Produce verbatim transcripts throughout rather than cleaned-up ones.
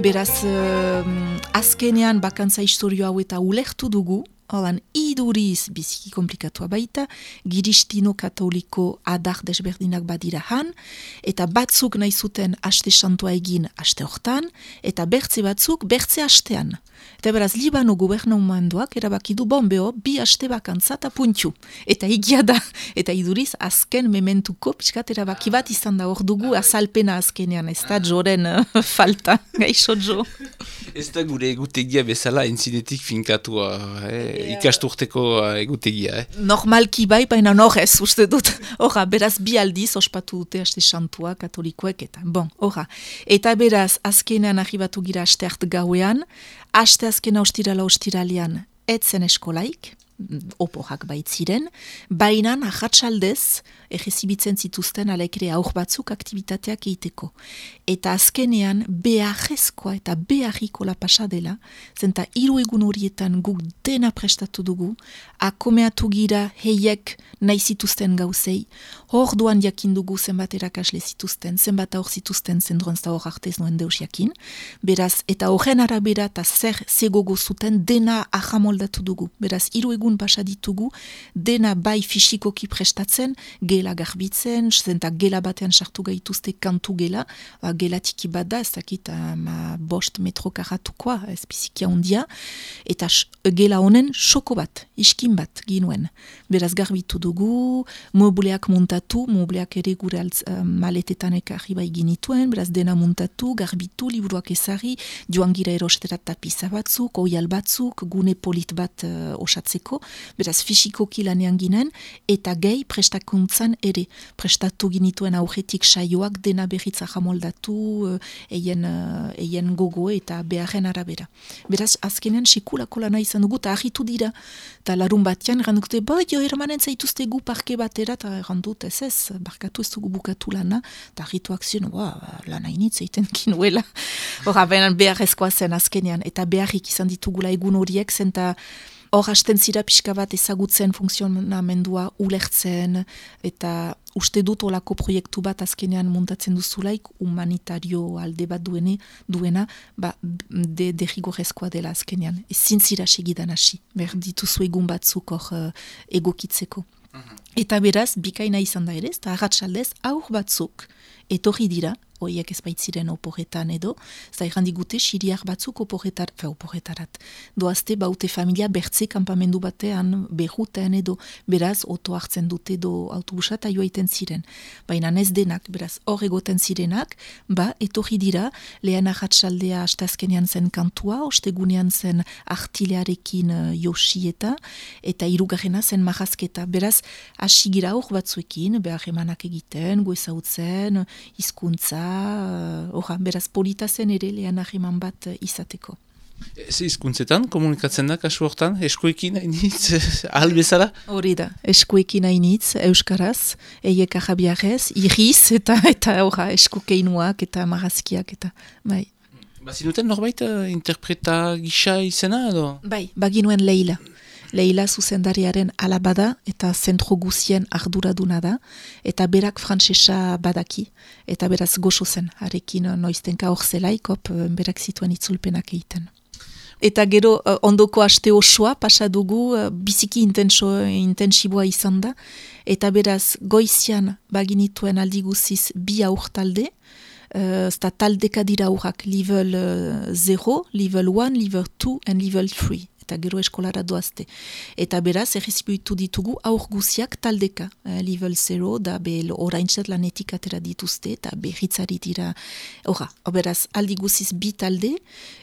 Beraz, uh, azkenean bakantza historio hau eta ulertu dugu, holan iduriz biziki komplikatua baita, giristino katoliko adar desberdinak badira han, eta batzuk nahi zuten aste santua egin aste hortan, eta bertze batzuk bertze astean. Eta beraz, Libano gubernamenduak erabaki du bombeo bi aste bakantza eta puntu. Eta egia da, eta iduriz azken mementuko pixkat erabaki bat izan da hor dugu azalpena azkenean, ez da joren uh, falta, gaixo jo. Ez da gure egutegia bezala entzinetik finkatua, eh? Ikasturteko egutegia. Eh? Normalki bai, baina horrez, uste dut. Horra, beraz bi aldiz ospatu dute aste santua katolikoek eta. Bon, horra. Eta beraz, azkenean arribatu gira aste hart gauean, aste azkena ostirala ostiralian etzen eskolaik, oporak baitziren, baina ahatsaldez egezibitzen zituzten alekere aur batzuk aktivitateak egiteko. Eta azkenean beharrezkoa eta beharrikola pasa dela, zenta hiru egun horietan guk dena prestatu dugu, akomeatu gira heiek nahi zituzten gauzei, hor duan jakin dugu zenbat erakasle zituzten, zenbat aur zituzten zendroan zta hor artez noen deus jakin, beraz, eta horren arabera eta zer zegogo zuten dena ahamoldatu dugu. Beraz, hiru egun pasa ditugu, dena bai fisikoki prestatzen, gela garbitzen, zenta gela batean sartu gaituzte kantu gela, ba, gela tiki bada, ez dakit ma bost metro karatukoa, ez bizikia ondia, eta sh, gela honen xoko bat, iskin bat ginuen. Beraz garbitu dugu, mobleak montatu, mobleak ere gure altz, uh, maletetan ekarri bai ginituen, beraz dena montatu, garbitu, liburuak ezari, joan gira erosterat tapiza batzuk, oial batzuk, gune polit bat uh, osatzeko, beraz fisikoki lanean ginen, eta gehi prestakuntzan ere, prestatu ginituen aurretik saioak dena berritza jamoldatu, eien, eien gogo eta beharren arabera. Beraz, azkenean sekulako lana izan dugu, eta ahitu dira, eta larun batean, errandukte, bai, jo, ermanen zaituzte gu parke batera, eta errandut, ez ez, barkatu ez dugu bukatu lana, eta ahituak ziren, ba, lana initz eiten kinuela. Horra, beharrezkoa zen azkenean, eta beharrik izan ditugula egun horiek, zenta hor hasten zira pixka bat ezagutzen funksionamendua ulertzen, eta uste dut olako proiektu bat azkenean montatzen duzulaik, humanitario alde bat duene, duena, ba, de, derrigorrezkoa dela azkenean. Ezin zira segidan hasi, behar dituzu egun batzuk hor uh, egokitzeko. Eta beraz, bikaina izan da ere, eta arratsaldez aur batzuk etorri dira, horiek ez baitziren oporretan edo, zai randigute siriak batzuk oporretar, fe oporretarat. Doazte baute familia bertze kampamendu batean, berrutean edo, beraz, oto hartzen dute edo autobusa eta joaiten ziren. Baina ez denak, beraz, hor egoten zirenak, ba, etorri dira, lehen arratsaldea astazkenean zen kantua, ostegunean zen artilearekin uh, josieta, eta hirugarrena zen marrazketa. Beraz, hasi gira hor batzuekin, behar emanak egiten, goezautzen, hizkuntza, Oha, beraz polita zen ere lehen ahiman bat izateko. Ez hizkuntzetan komunikatzen da kasu hortan, eskuekin hainitz, ahal bezala? Hori da, eskuekin hainitz, euskaraz, eiek ahabiarez, iriz eta eta oha, eskukeinuak eta marrazkiak eta bai. Bazinuten norbait uh, interpreta gisa izena edo? Bai, baginuen Leila. Leila zuzendariaren alabada eta zentro guzien arduraduna da, eta berak frantsesa badaki, eta beraz goxo zen, harekin noiztenka hor zelaikop, berak zituen itzulpenak egiten. Eta gero ondoko aste osoa pasadugu biziki intenso, intensiboa izan da, eta beraz goizian baginituen aldi guziz bi aur talde, eta uh, taldeka dira aurrak level zero, level one, level two, and level three. Eta gero eskolara doazte. Eta beraz, errezibitu ditugu aur guziak taldeka. Eh, level zero, da be oraintzat lanetik atera dituzte, eta berritzari dira. Hora, beraz, aldi guziz bi talde,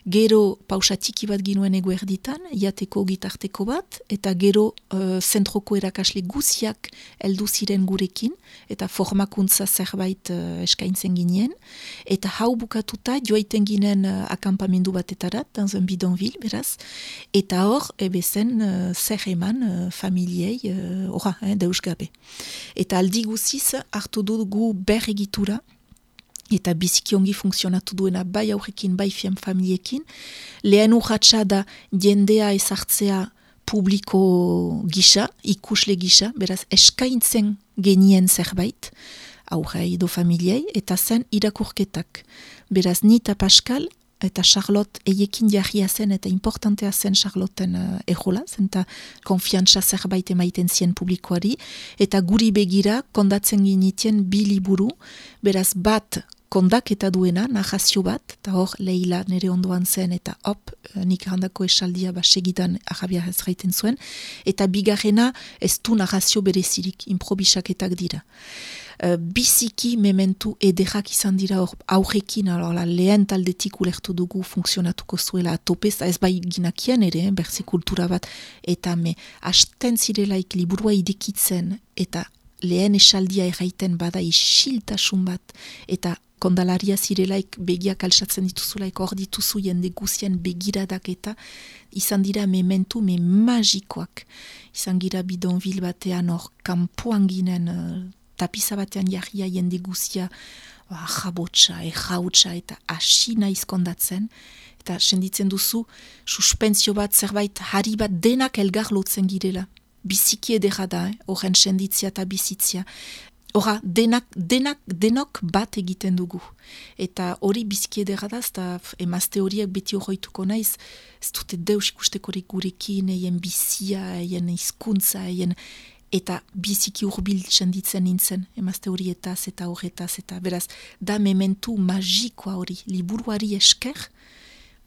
gero pausatiki bat ginuen eguerditan, jateko gitarteko bat, eta gero uh, zentroko erakasle guziak heldu ziren gurekin, eta formakuntza zerbait uh, eskaintzen ginen, eta hau bukatuta joaiten ginen uh, akampamendu batetarat, dans un bidonville, beraz, eta Eta hor, ebezen, uh, zer eman uh, familiei, uh, ora, eh, deus gabe. Eta aldi guziz, hartu dugu ber egitura, eta biziki ongi funtzionatu duena bai aurrekin, bai fiam familiekin. Lehen urratxa da jendea ezartzea publiko gisa, ikusle gisa, beraz eskaintzen genien zerbait, aurre edo familiei, eta zen irakurketak. Beraz, ni eta Pascal, eta Charlotte eiekin jarria zen, eta importantea zen Charlotten uh, ejola, zen eta konfiantza zerbait emaiten zien publikoari, eta guri begira kondatzen ginitien bi liburu, beraz bat kondaketa duena, narrazio bat, eta hor Leila nire ondoan zen, eta hop, nik handako esaldia ba segidan arabia ez gaiten zuen, eta bigarrena ez du narrazio berezirik, improbisaketak dira. Uh, biziki mementu ederrak izan dira hor aurrekin, la, lehen taldetik ulertu dugu funksionatuko zuela atopez, ez bai ginakien ere, eh, berzi kultura bat, eta me hasten zirelaik liburua idekitzen, eta lehen esaldia erraiten bada isiltasun bat, eta kondalaria zirelaik begiak altsatzen dituzulaik hor dituzu jende guzien begiradak eta izan dira mementu me magikoak. Izan gira bidonvil batean hor kanpoan ginen uh, tapiza batean jarria jende guzia uh, jabotsa, errautsa eta hasi naiz kondatzen. Eta senditzen duzu suspensio bat zerbait hari bat denak elgar lotzen girela. Biziki edera da, eh? Horren senditzia eta bizitzia. Hora, denak, denak, denok bat egiten dugu. Eta hori biziki edera da, eta emazte horiek beti horreituko naiz, ez dute deus ikustekorik gurekin, eien bizia, eien hizkuntza, eien... Eta biziki urbil senditzen nintzen, emazte horietaz eta horretaz, eta beraz, da mementu magikoa hori, liburuari esker,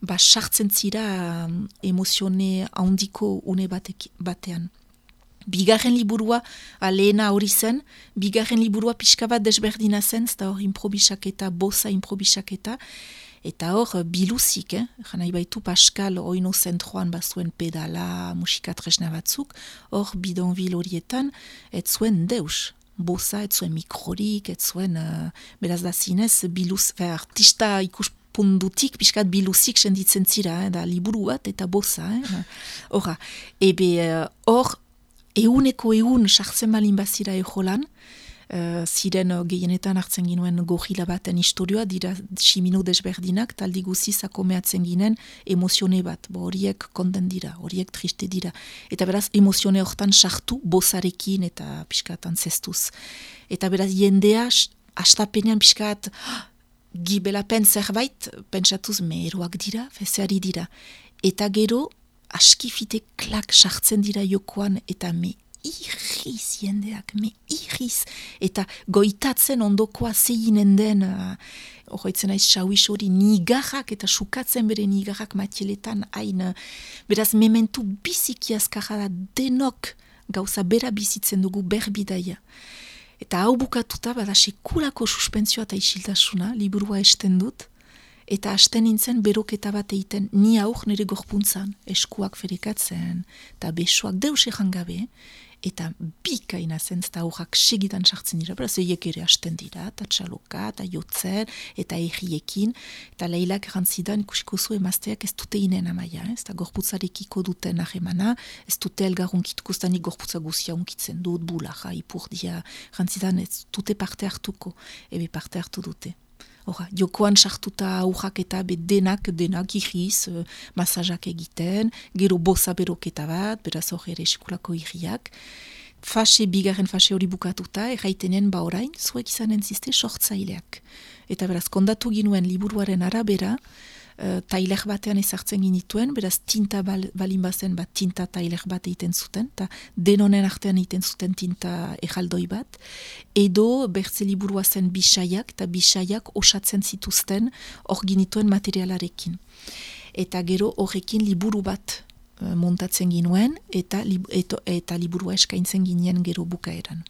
ba sartzen zira um, emozione handiko une batek, batean. Bigarren liburua, lehena hori zen, bigarren liburua pixka bat desberdina zen, eta hor improbisaketa, bosa improbisaketa, eta hor biluzik, eh? Janai baitu Pascal oino zentroan bazuen pedala, musika tresna batzuk, hor bidonvil horietan, ez zuen deus. Bosa, ez zuen mikrorik, ez zuen, uh, beraz da zinez, biluz, fe, artista ikus pundutik, pixkat biluzik senditzen zira, eh? Da liburu bat eta bosa. Horra, eh? Ebe hor, uh, euneko eun sartzen malin bazira ejolan, uh, ziren uh, gehienetan hartzen ginuen gorila baten historioa, dira simino desberdinak, taldi guziz akomeatzen ginen emozione bat, bo horiek konden dira, horiek triste dira. Eta beraz, emozione hortan sartu bozarekin eta pixkatan zestuz. Eta beraz, jendea astapenean pixkat gibelapen zerbait, pentsatuz meheroak dira, fezeari dira. Eta gero, askifite klak sartzen dira jokoan, eta me irriz jendeak, me irriz, eta goitatzen ondokoa zeinen den, horretzen uh, aiz xauiz hori nigarrak, eta sukatzen bere nigarrak matieletan, hain, beraz mementu biziki azkarra da denok gauza bera bizitzen dugu berbidaia. Eta hau bukatuta, bada sekulako suspentsioa eta isiltasuna, liburua esten dut, eta hasten nintzen beroketa bat egiten, ni aur nire gorpuntzan, eskuak ferekatzen, eta besoak deus egan gabe, eta bikaina zen, eta aurrak segidan sartzen dira, beraz eiek ere hasten dira, eta txaloka, eta jotzen, eta erriekin, eta leilak erantzidan ikusiko zu emazteak ez dute inen amaia, ez da gorputzarekiko duten ahemana, ez dute elgar unkituko, ez da nik gorputza guzia unkitzen dut, bulaja, ipurdia, erantzidan ez dute parte hartuko, ebe parte hartu dute. Hora, jokoan sartuta aurrak eta be denak, denak irriz, uh, masajak egiten, gero bosa beroketa bat, beraz hor ere sekulako irriak. Fase, bigarren fase hori bukatuta, erraitenen ba orain, zuek izanen ziste sortzaileak. Eta beraz, kondatu ginuen liburuaren arabera, uh, tailer batean ezartzen ginituen, beraz tinta bal, balin bazen bat tinta tailer bat egiten zuten, eta denonen artean egiten zuten tinta erraldoi bat, edo bertze liburua zen bisaiak, eta bisaiak osatzen zituzten hor ginituen materialarekin. Eta gero horrekin liburu bat uh, montatzen ginuen, eta, li, eto, eta liburua eskaintzen ginen gero bukaeran.